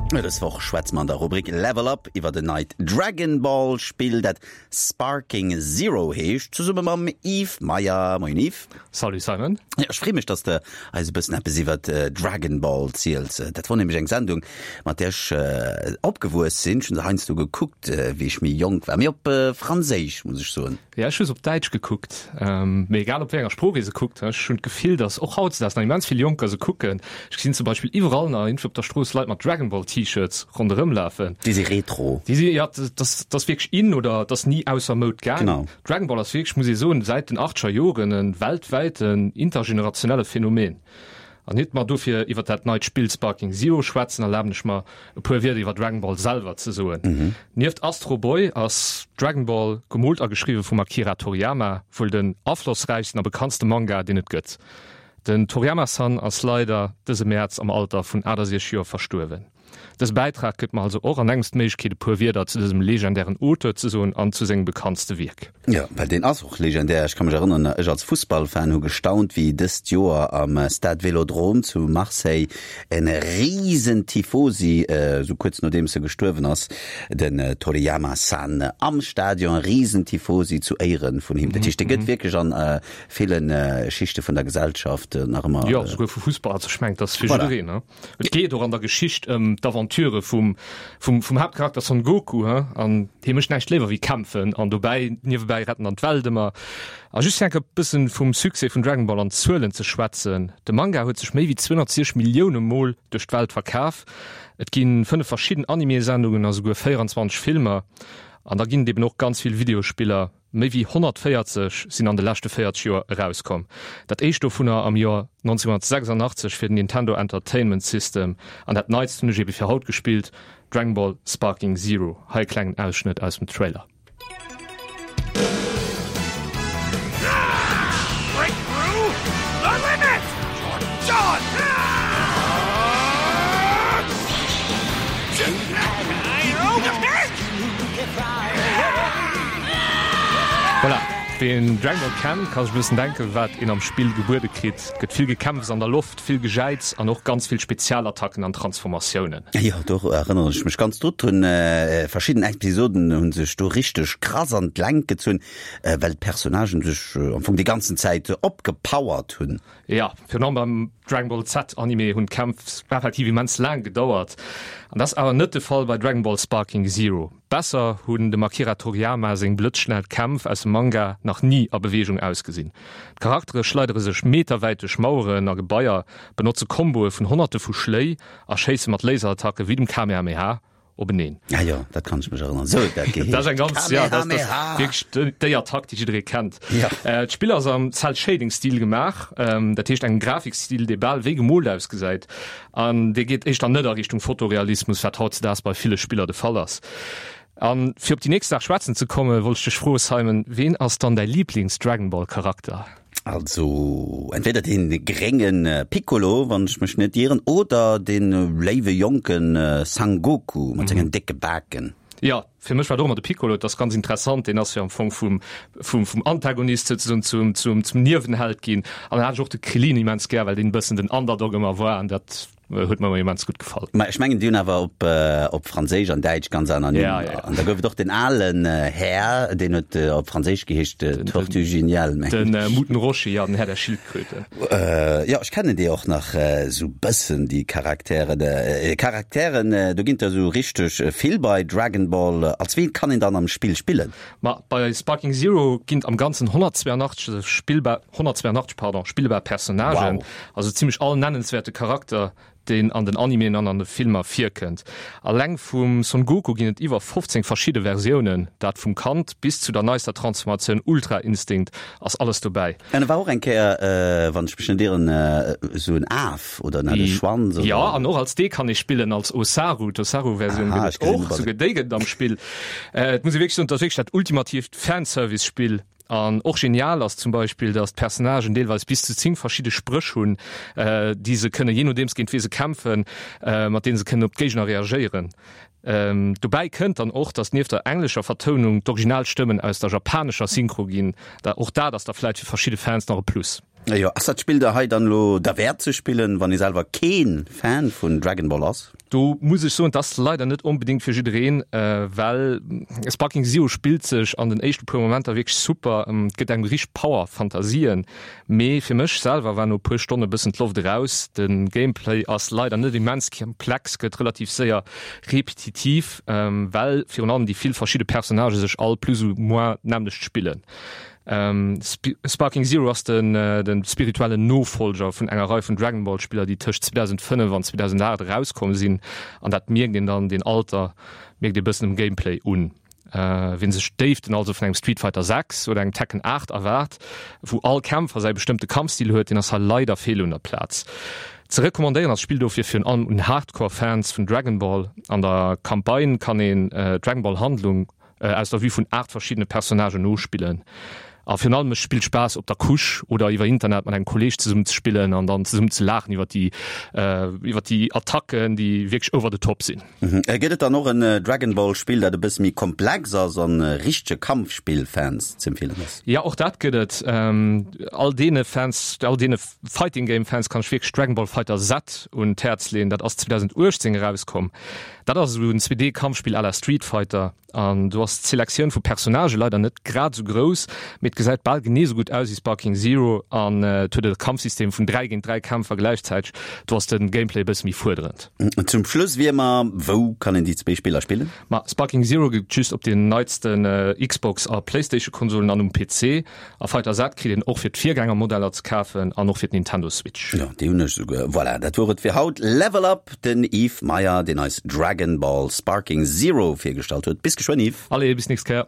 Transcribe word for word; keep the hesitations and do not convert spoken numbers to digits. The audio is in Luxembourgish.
Dës Woch schwätze mer an der Rubrik Level Up iwwer en neit Dragon Ball Spill, dat Sparking Zero heescht, zesumme mam Yves Meyer. Moien Yves. Salut Simon. Ja, ech freeë mech, dass de eis e bëssen eppes iwwer Dragon Ball ziels. Dat wor nämlech eng Sendung, mat där ech opgewuess sinn. Ech hunn se heiansdo gekuckt, wéi ech méi jonk war, mee op Franséisch, muss ech soen. Ja, ech hu se op Däitsch gekuckt. Mee egal op wéi enger Sprooch ee se kuckt, ech hunn d'Gefill, dass och hautdesdaags nach immens vill Jonker se kucken. Ech gesinn zum Beispill iwwerall nach iergendwou op der Strooss Leit mat Dragon Ball T-Shirts ronderëm lafen. Déi si retro. Déi si, ja, dat ass wierklech in oder dat ass ni ausser Moud gaang. Genau. Dragon Ball ass wierklech, muss ee soen, säit den achtscher Joren e weltwäiten, intergenerationelle Phänomen. An iert mer dofir iwwer dat neit Spill Sparking Zero schwätzen, erlaben ech mer, e puer Wierder iwwer Dragon Ball selwer ze soen. Nieft Astro Boy ass Dragon Ball, gemoolt a geschriwwe vum Akira Toriyama, wuel den aflossräichsten a bekanntste Manga, deen et gëtt. Den Toriyama-san ass leider dëse Mäerz am Alter vun achtasiechzeg Joer verstuerwen. Dëse Bäitrag gëtt mer also och an engems d'Méiglechkeet e puer Wierder zu dësem legendären Auteur ze soen an zu sengem bekanntste Wierk. Jo, well deen ass och legendär. Ech ka mech erënneren, ech als Fussballfan hu gestaunt, wéi dëst Joer am Stade Vélodrome zu Marseille en risen Tifosi, esou kuerz nodeems e gestuerwen ass, den Toriyama-san, am Stadion, risen Tifosi zu Éiere vun him. Dat heescht, dee gëtt wierklech an ville Schichte vun der Gesellschaft nach ëmmer. Jo, esouguer vu Fussballer. Also ech mengen, dat ass fir jiddereen, ne? Et geet och an der Geschicht ëm d'Aventure vum, vum, vum Haaptcharakter Son Goku, he? An hie mécht näischt léiwer wéi kämpfen an dobäi, niewebäi retten an d'Welt ëmmer. A just fir enke bëssen vum Succès vun Dragon Ball an Zuelen ze schwätzen, De Manga huet sech méi wéi zweehonnertsiechzeg Millioune Mol duerch d'Welt verkaf. Et gi fënnef verschidden Anime-Sendungen a souguer véierenzwanzeg Filmer. An da ginn et eben och ganz vill Videospiller. Méi wéi honnertvéierzeg sinn an de leschte véierzeg Joer erauskomm. Dat éischt dovunner am Joer nonzénhunnertsechsandachtzeg fir den Nintendo Entertainment System. An dat neitst hunn ech ebe fir haut gespillt, Dragon Ball Sparking Zero. Hei e klengen Ausschnëtt aus dem Trailer. Voilà, ween Dragon Ball kennt, ka sech e bëssen denken, wat een am Spill gebuede kritt. Et gëtt vill Gekämpfs an der Loft, vill Gejäiz an och ganz vill Spezialattacken an Transformatiounen. Jo, do erënneren ech mech ganz drut. Hunn verschidden Episoden hu sech do richteg krass an d'Längt gezunn, well d'Personnagen sech am Fong déi ganzen Zäit opgepowert hunn. Jo, virun allem beim Dragon Ball Z Anime hunn d'Kämpf effektiv immens laang gedauert. An dat ass awer net de Fall bei Dragon Ball Sparking Zero. Besser hunn dem Akira Toriyama seng blëtzschnell Kämpf aus dem Manga nach ni a Beweegung ausgesinn. D'Charaktere schleidere sech meterwäit duerch Maueren a Gebaier, benotze Komboe vun honnerte vu Schléi a schéisse mat Laserattacke wéi dem Kamehameha openeen. Ah jo, dat kann ech mech erënneren. Sou huet dat geheescht. Dat ass eng ganz, ja, dat ass wierklech déi Attack, déi jidderee kennt. Ja. D'Spill ass am Cel-Shading-Stil gemaach, dat heescht engem Grafikstil, dee bal wéi gemoolt ausgesäit. An dee geet éischter net a Richtung Fotorealismus, wat hautzedaags bei ville Spiller de Fall ass. A fir op déi nächst Saach schwätzen ze kommen, wollt ech dech froen, Simon, ween ass dann däi Liiblings-Dragon-Ball-Charakter? Also entweder dee grénge Piccolo, wann ech mech net ieren, oder dee léiwe jonke Sangoku mat sengen décke Baken. Jo, fir mech war et och ëmmer de Piccolo. Et ass ganz interessant, deen ass jo am Fong vum, vum, vum Antagonist souzesoen zum, zum, zum Niewenheld ginn. An dann hat ech och de Krillin immens gär, well deen e bëssen den Underdog ëmmer war an dat huet mer ëmmer immens gutt gefall. Mä ech mengen, déi hunn awer op, op Franséisch an Däitsch ganz aner Nimm. Ja, ja. An da gouf et och den alen Här, deen huet op Franséisch geheescht Tortue Géniale, mengen ech. Den Muten Roshi, ja, den Här der Schildkröte. Jo, ech kennen déi och nach esou bëssen, déi Charakteren. Charakteren, do ginn et der esou richteg vill bei Dragon Ball. Als ween kann een dann am Spill spillen? Ma bei Sparking Zero ginn et am Ganzen honnertzweianachtzeg spillbar, honnertzweianachtzeg, pardon, spillbar Personnagen. Wow. Also zimmlech all nennenswäerte Charakter, deen an den Animeen an an de Filmer virkënnt. Alleng vum Son Goku ginn et iwwer fofzéng verschidde Versiounen, dat vum Kand bis zu der neister Transformatioun Ultra Instinct ass alles dobäi. An e war och eng Kéier, wann ech mech net ieren, esou en Af oder en hat e Schwanz oder? Jo, an och als dee kann ee spillen, als Osaru. D'Osaru-Versioun gëtt et och, souguer déi gëtt et am Spill. Et muss ee wierklech soen, et ass wierklech dat ultimatiivt Fanservice-Spill. An och genial ass zum Beispill, dass d'Personnagen deelweis bis zu zéng verschidde Spréch hunn, déi se kënnen, jee nodeems géint wee se kämpfen, mat deene se kënnen op d'Géigner reagéieren. Dobäi kënnt dann och, dass nieft der englescher Vertounung d'Originalstëmmen aus der japanescher Synchro ginn. Och dat ass da vläit fir verschidde Fans nach e Plus. Jo, ass dat Spill da hei dann elo derwäert ze spillen, wann ee selwer keen Fan vun Dragon Ball ass? Do muss ech soen, et ass leider net onbedéngt fir jiddereen, well Sparking Zero spillt sech an den éischte puer Momenter wierklech super, et gëtt engem richteg Power, Fantasien, mee fir mech selwer war no e puer Stonne bëssen d'Loft eraus. De Gameplay ass leider net immens komplex, gëtt relativ séier repetitiv, well virun allem déi vill verschidde Personnagë sech all plus ou moins d'nämmlecht spillen. Sparking Zero ass den de spirituellen Nofollger vun enger Rei vun Dragon Ball Spiller, déi tëscht zweedausendfënnef an zweedausendaacht erauskomm sinn, an dat mierkt een dann, deen Alter mierkt ee bëssen um Gameplay un. Wien sech d'Déiften also vun engem Street Fighter sechs oder engem Tekken aacht erwaart, wou all Kämpfer säi bestëmmte Kampfstil huet, deen ass hei leider fehl un der Plaz. Ze recommandéieren ass d'Spill dofir virun allem un Hardcore Fans vun Dragon Ball. An der Campagne kann een d'Dragon Ball Handlung aus der Vue vun aacht verschiddene Personnagen nospillen. A virun allem et spillt Spaass op der Couche oder iwwer Internet mat engem Kolleeg zesummen ze spillen an dann zesummen ze laachen iwwer déi iwwer déi Attacken, déi wierklech over the top sinn. Gëtt et dann och en Dragon Ball Spill dat e bësse méi komplex ass an richtege Kampfspill Fans z'empfeelen ass? Jo och dat gëtt et. All deene Fans, all deene Fighting Game Fans kann ech wierklech Dragon Ball Fighter Z un d'Häerz leeën. Dat ass zweedausenduechtzéng erauskomm. Dat ass esou en zwee D Kampfspill à la Street Fighter an do ass d'Selektioun vu Personnagë leider net grad esou grouss, mee et gesäit bal genee esou gutt aus wéi Sparking Zero an et huet e Kampfsystem vun dräi géint dräi Kämpfer gläichzäiteg. Do ass de Gameplay e bësse méi fuerderend. Zum Schluss wéi ëmmer, wou kann een déi zwee Spiller spillen? Ma Sparking Zero gëtt et just op den neitsten Xbox a Playstation Konsolen an um P C. A Fighter Z kritt een och fir d'Virgängermodeller ze kafen an och fir d'Nintendo Switch. Jo, déi hunn ech souguer. Voilà, dat wor et fir haut. Level Up, den Yves Meyer, deen eis Dragon Ball Sparking Zero virgestallt huet. Bis geschwënn, Yves. Allez, bis nächst Kéier.